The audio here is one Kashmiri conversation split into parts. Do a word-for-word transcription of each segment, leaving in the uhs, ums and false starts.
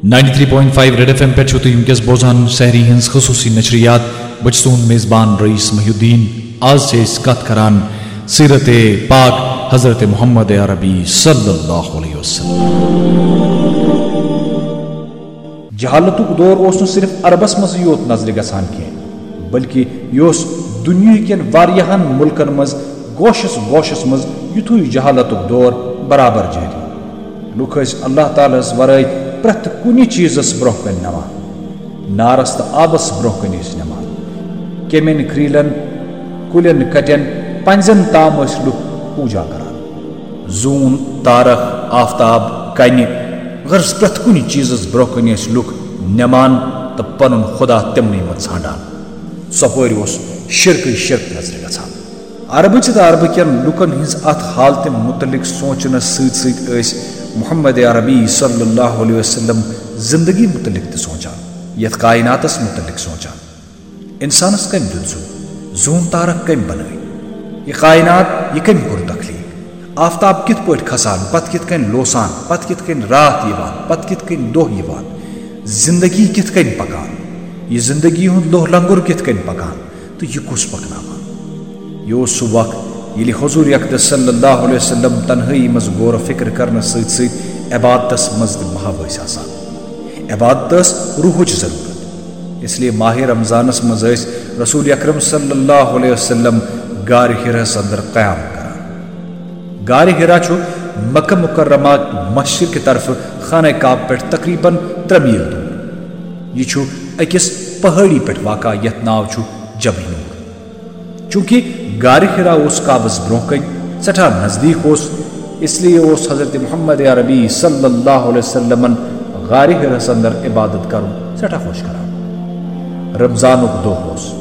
Ninety three point five red FM ایم پٮ۪ٹھ چھِو تُہۍ وٕنکیٚس بوزان سحری ہٕنٛز خصوٗصی نشریات۔ بہٕ چھُس تُہُنٛد میزبان رئیس محی الدین۔ آز چھِ أسۍ کتھ کران سیرت پاک حضرت محمد عربی صلی اللہ علیہ وسلم۔ جہالتُک دور اوس نہٕ صرف عربس منٛزٕے یوت نظرِ گژھان کینٛہہ، بلکہِ یہِ اوس دُنیاہہٕ کٮ۪ن واریاہن مُلکن منٛز گوشس گوشس منٛز یُتھُے جہالتُک دور برابر جٲری۔ لُکھ ٲسۍ اللہ تعالیٰ ہس ورٲے پرٛٮ۪تھ کُنہِ چیٖزس برٛونٛہہ کنہِ نِوان۔ نارس تہٕ آبس برٛونٛہہ کنہِ ٲسۍ نِوان۔ کیمٮ۪ن، کریٖلن، کُلٮ۪ن کٹٮ۪ن، پنٛزٮ۪ن تام ٲسۍ لُکھ پوٗجا کران۔ زوٗن، تارکھ، آفتاب، کنہِ، غرض پرٛٮ۪تھ کُنہِ چیٖزس برٛونٛہہ کنہِ ٲسۍ لُکھ نِوان تہٕ پنُن خدا تِمنٕے منٛز ژھانٛڈان۔ ژۄپٲرۍ اوس شرکٕے شرک نظرِ گژھان۔ عربٕچ تہٕ عربہٕ کٮ۪ن لوٗکن ہٕنٛز اتھ حالتہِ مُتعلق سونچنس سۭتۍ سۭتۍ ٲسۍ محمد عربی صلی اللہ علیہ وسلم زندگی مُتعلق تہِ سونچان، یتھ کائناتس مُتعلق سونچان۔ انسانس کٔمۍ دیُت زُو؟ زوٗن تارکھ کٔمۍ بنٲوۍ؟ یہِ کائنات، یہِ کٔمۍ کوٚر تخلیق؟ آفتاب کِتھ پٲٹھۍ کھسان، پتہٕ کِتھ کٔنۍ لوسان، پتہٕ کِتھ کٔنۍ راتھ یِوان، پتہٕ کِتھ کٔنۍ دۄہ یِوان؟ زندگی کِتھ کٔنۍ پکان؟ یہِ زندگی ہُنٛد لوہ لنگر کِتھ کٔنۍ پکان؟ تہٕ یہِ کُس پکناوان؟ یہِ اوس سُہ وقت، ییٚلہِ حضور اقدس صلی اللہ علیہ وسلم تنہٲیی منٛز غور و فکر کرنس سۭتۍ سۭتۍ عبادتس منٛز تہِ محو ٲسۍ آسان۔ عبادت ٲس روحٕچ ضرورت، اس لیے ماہ رمضانس منٛز ٲسۍ رسول اکرم صلی اللہ علیہ وسلم غار حراہس اندر قیام کران۔ غار حرا چھُ مکہ مکرمہ مشرق طرفہٕ خانہ کعبہ پٮ۪ٹھ تقریباً ترٛےٚ میل دوٗر۔ یہِ چھُ أکِس پہٲڑی پٮ۪ٹھ واقع یتھ ناو چھُ جبل نور۔ چونکہ غار حرا اوس کعبس برونٛہہ کنہِ سٮ۪ٹھاہ نزدیٖک اوس، اس لیے اوس حضرت محمد عربی صلی اللہ علیہ وسلمن غار حراہس اندر عبادت کرُن سٮ۪ٹھاہ خۄش کران۔ رمضانُک دۄہ اوس۔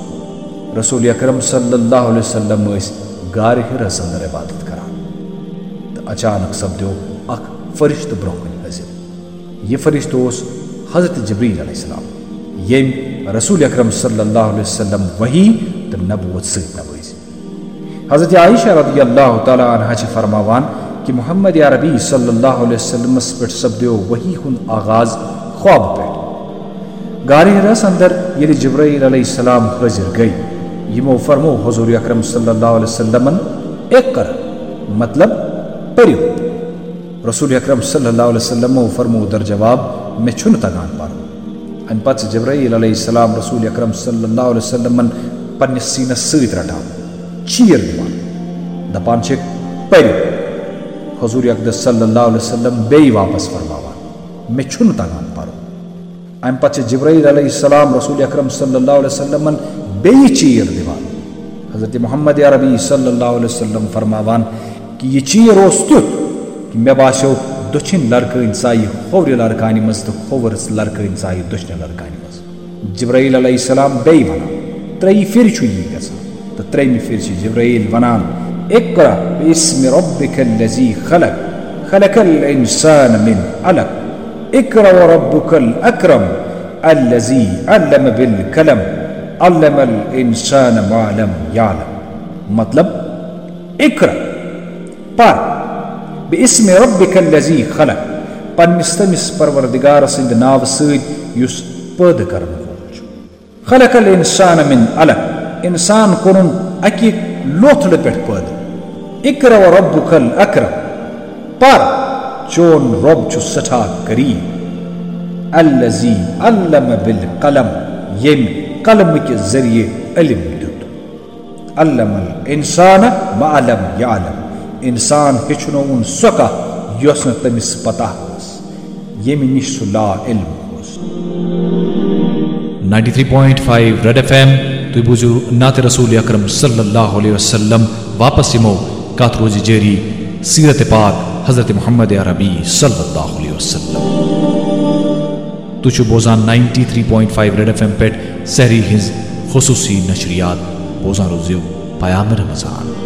رسول اکرم صلی اللہ علیہ وسلم ٲسۍ غار حراہس اندر عبادت کران تہٕ اچانک سپدیو اکھ فرشتہٕ برونٛہہ کنہِ حٲضِر۔ یہِ فرشتہٕ اوس حضرت جبرائیل علیہ السلام، ییٚمۍ رسول اکرم صلی اللہ علیہ وسلم وحی تہٕ نبوت سۭتۍ نوٲزۍ۔ حضرت عائشہ رضی اللہ تعالیٰ عنہا چھِ فرماوان کہ محمد عربی صلی اللہ علیہ وسلمس پٮ۪ٹھ سپدیو وحی ہُنٛد آغاز خوابہٕ پٮ۪ٹھ۔ غار حراہس اندر ییٚلہِ جبرائیل علیہ السلام حٲضِر گٔے، یِمو فرموو حضور اکرم صلی اللہ علیہ وسلمن، "اقرأ"، مطلب، پٔرِو۔ رسول اکرم صلی اللہ علیہ وسلمو فرموو در جواب، "مےٚ چھُنہٕ تگان پرُن۔" امہِ پتہٕ چھِ جبرائیل علیہ السلام رسول اکرم صلی اللہ علیہ وسلمن پننِس سینس سۭتۍ رٹان، چیٖر دِوان، دپان چھِکھ، "پٔرِو۔" حضور اقدس صلی اللہ علیہ وسلم بیٚیہِ واپس فرماوان، "مےٚ چھُنہٕ تگان پرُن۔" امہِ پتہٕ چھِ جبرائیل علیہ السلام رسول اکرم صلی اللہ علیہ وسلمن بیٚیہِ چیٖر دِوان۔ حضرت محمد عربی صلی اللہ علیہ وسلم فرماوان کہ یہِ چیٖر اوس تیُتھ کہ مےٚ باسیو دٔچھِنۍ لرکٲنۍ ژایہِ کھوورِ لرکانہِ منٛز تہٕ کھوورِ لرکٲنۍ ژایہِ دٔچھنہِ لرکانہِ منٛز۔ جبرائیل علیہ السلام بیٚیہِ ونان، ترٛیٚیہِ پھِرِ چھُ یی گژھان۔ تہٕ ترٛیٚیِمہِ پھِرِ چھِ جبرائیل ونان، "اقرأ باسم ربک الذی خلق، خلق الانسان من علق، اقرأ وربک الاکرم، الذی علم بالقلم، علم الانسان ما لم یعلم۔" مطلب، اقرأ، پر، باسم ربک الذی خلق، پننِس تٔمِس پروردگار سٕنٛدِ ناوٕ سۭتۍ یُس پٲدٕ کرن وول چھُ۔ خلق الانسان من علق، انسان کوٚرُن اکہِ لوتھڑٕ پٮ۪ٹھ پٲدٕ۔ اقرأ وربک الاکرم، پر، چون رب چھُ سٮ۪ٹھاہ کریم۔ الذی علم بالقلم، ییٚمۍ قلمہٕ کہِ ذٔریعہٕ علم دیُت۔ علم الانسان ما لم یعلم، انسان ہیٚچھنووُن سۄ کتھ یۄس نہٕ تٔمِس پتہ ٲس، ییٚمہِ نِش سُہ لا علم اوس۔ Ninety three point five red FM ایم، تُہۍ بوٗزِو نعت رسول اکرم صلی اللہ علیہ وسلم۔ واپس یِمو، کتھ روزِ جٲری سیرت پاک حضرت محمد عربی صلی اللہ علیہ وسلم۔ تُہۍ چھِو بوزان ninety three point five red FM ایم پٮ۪ٹھ سحری ہٕنٛز خصوٗصی نشریات۔ بوزان روٗزِو پیام رمضان۔